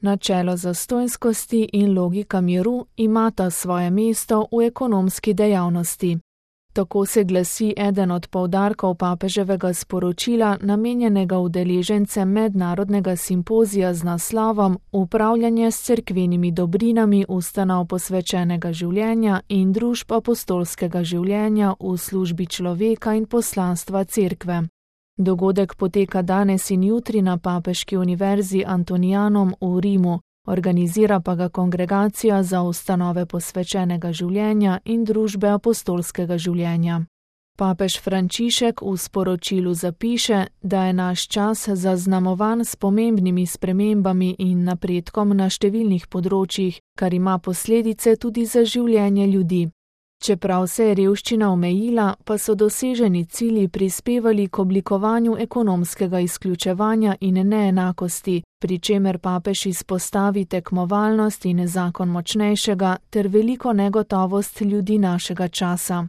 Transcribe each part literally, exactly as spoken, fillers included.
Načelo zastonjskosti in logika miru imata svoje mesto v ekonomski dejavnosti. Tako se glasi eden od poudarkov papeževega sporočila, namenjenega udeležencem mednarodnega simpozija z naslovom Upravljanje s cerkvenimi dobrinami ustanov posvečenega življenja in družb apostolskega življenja v službi človeka in poslanstva cerkve. Dogodek poteka danes in jutri na Papeški univerzi Antonianum v Rimu, organizira pa ga Kongregacija za ustanove posvečenega življenja in družbe apostolskega življenja. Papež Frančišek v sporočilu zapiše, da je naš čas zaznamovan s pomembnimi spremembami in napredkom na številnih področjih, kar ima posledice tudi za življenje ljudi. Čeprav se je revščina omejila, pa so doseženi cilji prispevali k oblikovanju ekonomskega izključevanja in neenakosti, pri čemer papež izpostavi tekmovalnost in zakon močnejšega ter veliko negotovost ljudi našega časa.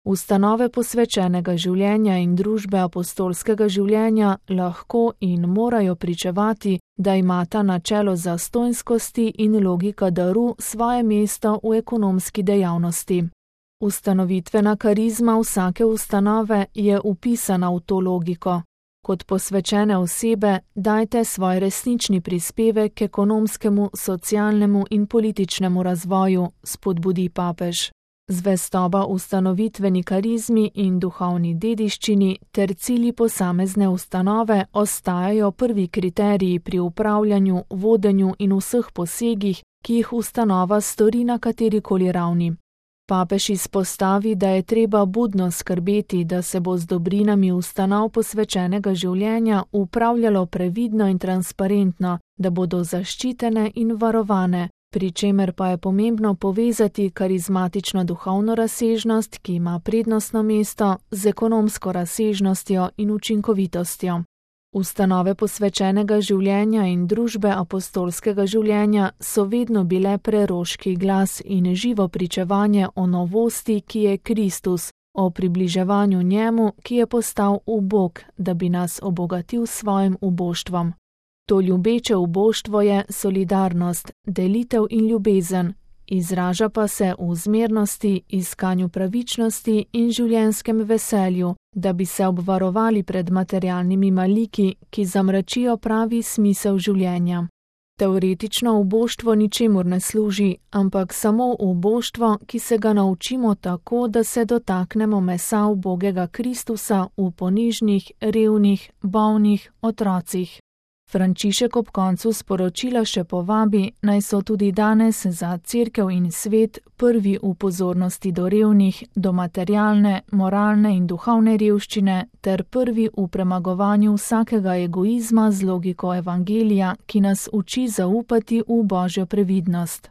Ustanove posvečenega življenja in družbe apostolskega življenja lahko in morajo pričevati, da imata načelo zastonjskosti in logika daru svoje mesto v ekonomski dejavnosti. Ustanovitvena karizma vsake ustanove je vpisana v to logiko. Kot posvečene osebe dajte svoj resnični prispevek k ekonomskemu, socialnemu in političnemu razvoju, spodbudi papež. Zvestoba ustanovitveni karizmi in duhovni dediščini ter cilji posamezne ustanove ostajajo prvi kriteriji pri upravljanju, vodenju in vseh posegih, ki jih ustanova stori na katerikoli ravni. Papež izpostavi, da je treba budno skrbeti, da se bo z dobrinami ustanov posvečenega življenja upravljalo previdno in transparentno, da bodo zaščitene in varovane, pri čemer pa je pomembno povezati karizmatično duhovno razsežnost, ki ima prednostno mesto, z ekonomsko razsežnostjo in učinkovitostjo. Ustanove posvečenega življenja in družbe apostolskega življenja so vedno bile preroški glas in živo pričevanje o novosti, ki je Kristus, o približevanju njemu, ki je postal ubog, da bi nas obogatil s svojim uboštvom. To ljubeče uboštvo je solidarnost, delitev in ljubezen, izraža pa se v zmernosti, iskanju pravičnosti in življenjskem veselju, da bi se obvarovali pred materialnimi maliki, ki zamračijo pravi smisel življenja. Teoretično uboštvo ničemur ne služi, ampak samo uboštvo, ki se ga naučimo tako, da se dotaknemo mesa ubogega Kristusa v ponižnih, revnih, bolnih otrocih. Frančišek ob koncu sporočila še povabi, naj so tudi danes za cerkev in svet prvi v pozornosti do revnih, do materialne, moralne in duhovne revščine ter prvi v premagovanju vsakega egoizma z logiko evangelija, ki nas uči zaupati v Božjo previdnost.